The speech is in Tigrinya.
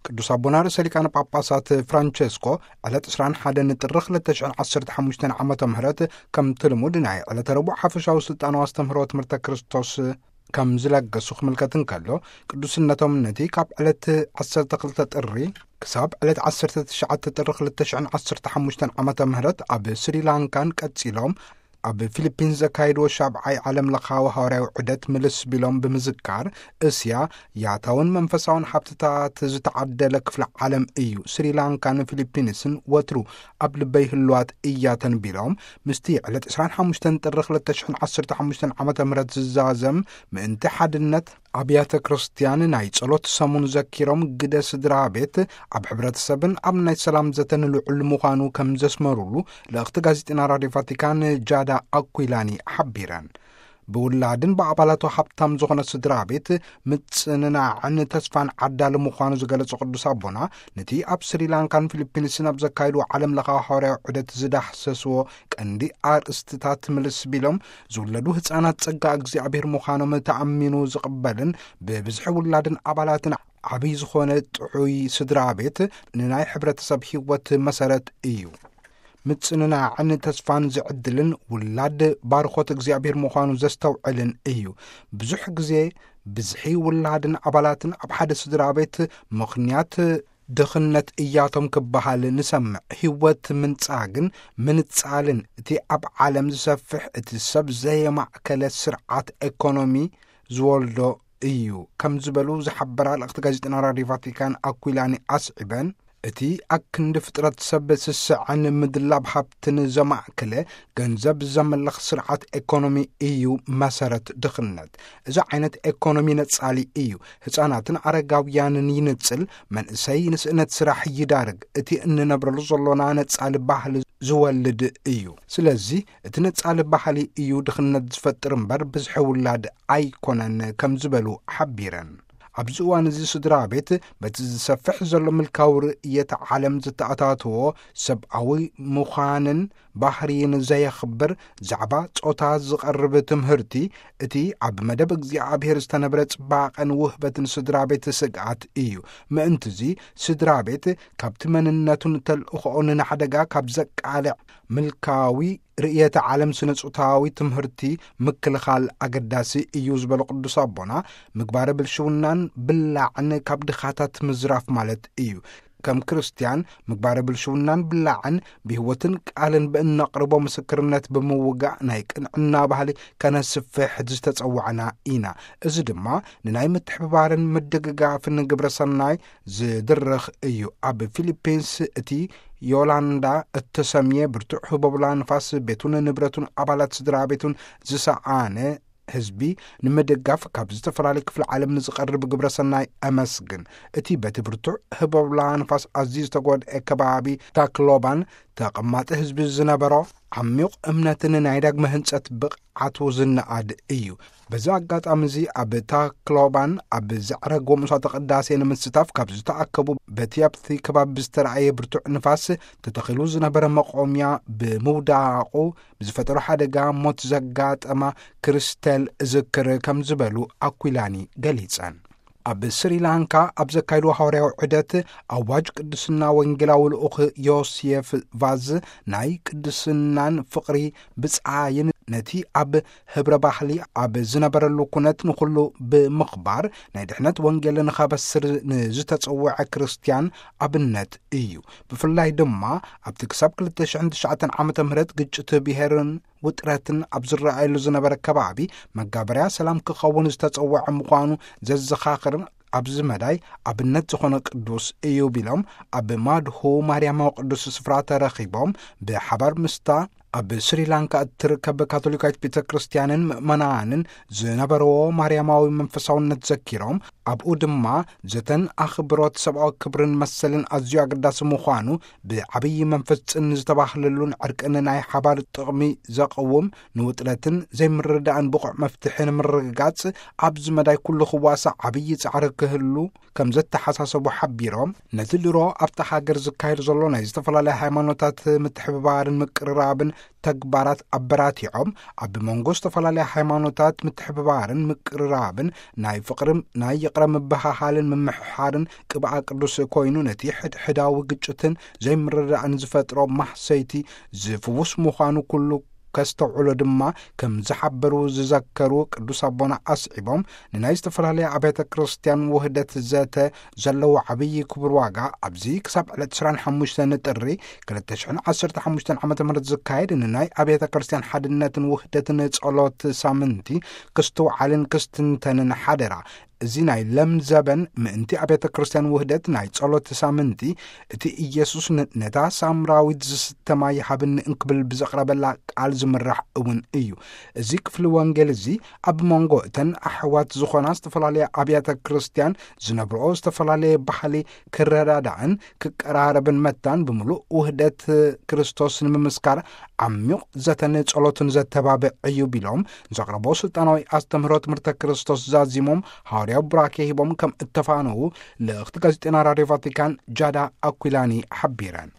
ቅዱስ ኣቦና ርእሰ ሊቃነ ጳጳሳት ፍራንቸስኮ ዕለት ዕስራን ሓደን ጥሪ ክልተ ሽሕን ዓሰርተ ሓሙሽተን ዓመተ ምህረት ከምቲ ልሙድ ናይ ዕለተ ረቡዕ ሓፈሻዊ ስልጣናዊ ኣስተምህሮ ትምህርተ ክርስቶስ ከም ዝለገሱ ክምልከት እንከሎ፣ ቅዱስነቶም ነቲ ካብ ዕለት ዓሰርተ ክልተ ጥሪ ክሳብ ዕለት ዓሰርተ ትሽዓተ ጥሪ ክልተ ሽሕን ዓሰርተ ሓሙሽተን ዓመተ ምህረት ኣብ ስሪላንካን ቀጺሎም ኣብ ፊሊፒንስ ዘካየድዎ ሻብዓይ ዓለም ለኻዊ ሃዋርያዊ ዑደት ምልስ ቢሎም ብምዝካር፣ እስያ ያታውን መንፈሳውን ሃብትታት ዝተዓደለ ክፍለ ዓለም እዩ። ስሪላንካን ፊሊፒንስን ወትሩ ኣብ ልበይ ህልዋት እያተን ቢሎም፣ ምስቲ ዕለት ዕስራን ሓሙሽተን ጥሪ ክልተ ሽሕን ዓሰርተ ሓሙሽተን ዓመተ ምህረት ዝዛዘም ምእንቲ ሓድነት ኣብያተ ክርስቲያን ናይ ጸሎት ሰሙን ዘኪሮም፣ ግደ ስድራ ቤት ኣብ ሕብረተሰብን ኣብ ናይ ሰላም ዘተን ልዑል ምዃኑ ከም ዘስመሩሉ ልእኽቲ ጋዜጠና ራድዮ ቫቲካን ጃዳ ኣኩላኒ ሓቢረን። ብውላድን ብኣባላቱ ሃብታም ዝኾነ ስድራ ቤት ምጽንናዕን ተስፋን ዓዳሊ ምዃኑ ዝገለጹ ቅዱስ ኣቦና፣ ነቲ ኣብ ስሪላንካን ፊሊፒንስን ኣብ ዘካየድዎ ዓለም ለኻዊ ሃዋርያዊ ዑደት ዝዳህሰስዎ ቀንዲ ኣርእስትታት ምልስ ቢሎም፣ ዝውለዱ ህጻናት ጸጋ እግዚኣብሔር ምዃኖም ተኣሚኑ ዝቕበልን ብብዝሒ ውላድን ኣባላትን ዓብዪ ዝኾነ ጥዑይ ስድራ ቤት ንናይ ሕብረተሰብ ህይወት መሰረት እዩ። ምጽንናዕን ተስፋን ዝዕድልን ውላድ ባርኾት እግዚኣብሔር ምዃኑ ዘስተውዕልን እዩ። ብዙሕ ግዜ ብዝሒ ውላድን ኣባላትን ኣብ ሓደ ስድራ ቤት ምኽንያት ድኽነት እያቶም ክበሃል ንሰምዕ። ህይወት ምንጻግን ምንጻልን እቲ ኣብ ዓለም ዝሰፍሕ እቲ ሰብ ዘየማእከለ ስርዓት ኤኮኖሚ ዝወልዶ እዩ ከም ዝበሉ ዝሓበራ ልእኽቲ ጋዜጠና ራድዮ ቫቲካን ኣኩላኒ ኣስዒበን፣ እቲ ኣክንዲ ፍጥረት ሰብ ስስዐን ምድላብ ሃብትን ዘማእከለ ገንዘብ ዘመልኽ ስርዓት ኤኮኖሚ እዩ መሰረት ድኽነት። እዚ ዓይነት ኤኮኖሚ ነጻሊ እዩ። ህጻናትን ኣረጋውያንን ይንጽል፣ መንእሰይ ንስእነት ስራሕ ይዳርግ። እቲ እንነብረሉ ዘሎና ነጻሊ ባህሊ ዝወልድ እዩ። ስለዚ እቲ ነጻሊ ባህሊ እዩ ድኽነት ዝፈጥር እምበር ብዝሒ ውላድ ኣይኮነን ከም ዝበሉ ሓቢረን። ኣብዚ እዋን እዚ ስድራ ቤት በቲ ዝሰፍሕ ዘሎ ምልካዊ ርእየተ ዓለም ዝተኣታተዎ ሰብኣዊ ምዃንን ባህርይን ዘየኽብር ዛዕባ ጾታ ዝቐርብ ትምህርቲ፣ እቲ ኣብ መደብ እግዚኣብሔር ዝተነብረ ጽባቐን ውህበትን ስድራ ቤት ስግኣት እዩ። ምእንትዚ ስድራ ቤት ካብቲ መንነቱን ተልእኾኡን ንሓደጋ ካብ ዘቃልዕ ምልካዊ ርእየተ ዓለም ስነ ጾታዊ ትምህርቲ ምክልኻል ኣገዳሲ እዩ ዝበሉ ቅዱስ ኣቦና፣ ምግባረ ብልሽውናን ብላዕን ካብ ድኻታት ምዝራፍ ማለት እዩ። ከም ክርስትያን ምግባረ ብልሽውናን ብላዕን ብህይወትን ቃልን ብእነቕርቦ ምስክርነት ብምውጋእ ናይ ቅንዕና ባህሊ ከነስፍሕ ዝተጸዋዕና ኢና። እዚ ድማ ንናይ ምትሕብባርን ምድግጋፍን ግብረ ሰናይ ዝድርኽ እዩ። ኣብ ፊሊፒንስ እቲ ዮላንዳ እተሰምየ ብርቱዕ ህቦብላ ንፋስ ቤቱን ንብረቱን ኣባላት ስድራ ቤቱን ዝሰኣነ ህዝቢ ንምድጋፍ ካብ ዝተፈላለዩ ክፍሊ ዓለም ንዝቐርብ ግብረ ሰናይ ኣመስግን። እቲ በቲ ብርቱዕ ህቦብላ ንፋስ ኣዝዩ ዝተጎድአ ከባቢ ታክሎባን ተቐማጢ ህዝቢ ዝነበሮ ዓሚቕ እምነትን ናይ ዳግመ ህንጸት ብቕዓቱ ዝነኣድ እዩ። በዚ ኣጋጣሚ እዚ ኣብ ታክሎባን ኣብ ዘዕረግዎ መስዋዕተ ቅዳሴ ንምስታፍ ካብ ዝተኣከቡ በቲ ኣብቲ ከባቢ ዝተረኣየ ብርቱዕ ንፋስ ተተኺሉ ዝነበረ መቆምያ ብምውዳቑ ብዝፈጠሮ ሓደጋ ሞት ዘጋጠማ ክርስቴል እዝክር ከም ዝበሉ ኣኩላኒ ገሊጸን። ኣብ ስሪላንካ ኣብ ዘካየድዎ ሃዋርያዊ ዑደት ኣዋጅ ቅድስና ወንጌላዊ ልኡኽ ዮሴፍ ቫዝ ናይ ቅድስናን ፍቕሪ ብጻይን ነቲ ኣብ ህብረ ባህሊ ኣብ ዝነበረሉ ኩነት ንኹሉ ብምኽባር ናይ ድሕነት ወንጌል ንኸበስር ንዝተጸውዐ ክርስትያን ኣብነት እዩ። ብፍላይ ድማ ኣብቲ ክሳብ ክልተ ሽሕን ትሽዓተን ዓመተ ምህረት ግጭት ብሄርን ውጥረትን ኣብ ዝረኣየሉ ዝነበረ ከባቢ መጋበርያ ሰላም ክኸውን ዝተጸውዐ ምዃኑ ዘዘኻኽርን ኣብዚ መዳይ ኣብነት ዝኾነ ቅዱስ እዩ ቢሎም፣ ኣብ ማድሁ ማርያማዊ ቅዱስ ስፍራ ተረኺቦም ብሓባር ምስታ ኣብ ስሪላንካ እትርከብ ካቶሊካዊት ቤተ ክርስቲያንን ምእመናንን ዝነበርዎ ማርያማዊ መንፈሳውነት ዘኪሮም፣ ኣብኡ ድማ ዘተን ኣኽብሮት ሰብኣዊ ክብርን መሰልን ኣዝዩ ኣገዳሲ ምዃኑ ብዓብዪ መንፈስ ጽን ዝተባህለሉን ዕርቅን ናይ ሓባር ጥቕሚ ዘቕውም ንውጥረትን ዘይምርዳእን ብቑዕ መፍትሒ ንምርግጋጽ ኣብዚ መዳይ ኩሉ ክዋሳእ ዓብዪ ጻዕሪ ክህሉ ከም ዘተሓሳሰቡ ሓቢሮም፣ ነቲ ድሮ ኣብታ ሃገር ዝካየድ ዘሎ ናይ ዝተፈላለዩ ሃይማኖታት ምትሕብባርን ምቅርራብን ተግባራት ኣበራቲዖም፣ ኣብ መንጎ ዝተፈላለያ ሃይማኖታት ምትሕብባርን ምቅርራብን፣ ናይ ፍቕርን ናይ ይቕረ ምብሃሃልን ምምሕሓርን ቅብኣ ቅዱስ ኮይኑ፣ ነቲ ሕድሕዳዊ ግጭትን ዘይምርዳእን ዝፈጥሮ ማህሰይቲ ዝፍውስ ምዃኑ ኩሉ ከስተውዕሎ ድማ ከም ዝሓበሩ ዝዘከሩ ቅዱስ ኣቦና ኣስዒቦም፣ ንናይ ዝተፈላለያ ኣብያተ ክርስቲያን ውህደት ዘተ ዘለዎ ዓብዪ ክቡር ዋጋ ኣብዚ ክሳብ ዕለት ዕስራን ሓሙሽተን ጥሪ ክልተ ሽሕን ዓሰርተ ሓሙሽተን ዓመተ ምህረት ዝካየድ ንናይ ኣብያተ ክርስቲያን ሓድነትን ውህደትን ጸሎት ሳምንቲ ክስትውዓልን ክስትንተንን ሓደራ። እዚ ናይ ለም ዘበን ምእንቲ ኣብያተ ክርስቲያን ውህደት ናይ ጸሎት ሳምንቲ፣ እቲ ኢየሱስ ን-፣ ነታ ሳምራዊት ዝስተ ማይ ሃብኒ እንክብል ብዘቕረበላ ቃል ዝምራሕ እውን እዩ። እዚ ክፍሊ ወንጌል እዚ ኣብ መንጎ እተን ኣሕዋት ዝኾና ዝተፈላለያ ኣብያተ ክርስቲያን ዝነብርኦ ዝተፈላለየ ባህሊ ክረዳዳእን ክቀራረብን መታን ብምሉእ ውህደት ክርስቶስ ንምምስካር ዓሚቕ ዘተን ጸሎትን ዘተባብዕ እዩ ቢሎም፣ ዘቕረቦ ስልጣናዊ ኣስተምህሮ ትምህርተ ክርስቶስ ዛዚሞም፣ ሃዋርያዊ ቡራኬ ሂቦም ከም እተፋነዉ ልእኽቲ ጋዜጠና ራድዮ ቫቲካን ጃዳ ኣኩላኒ ሓቢረን።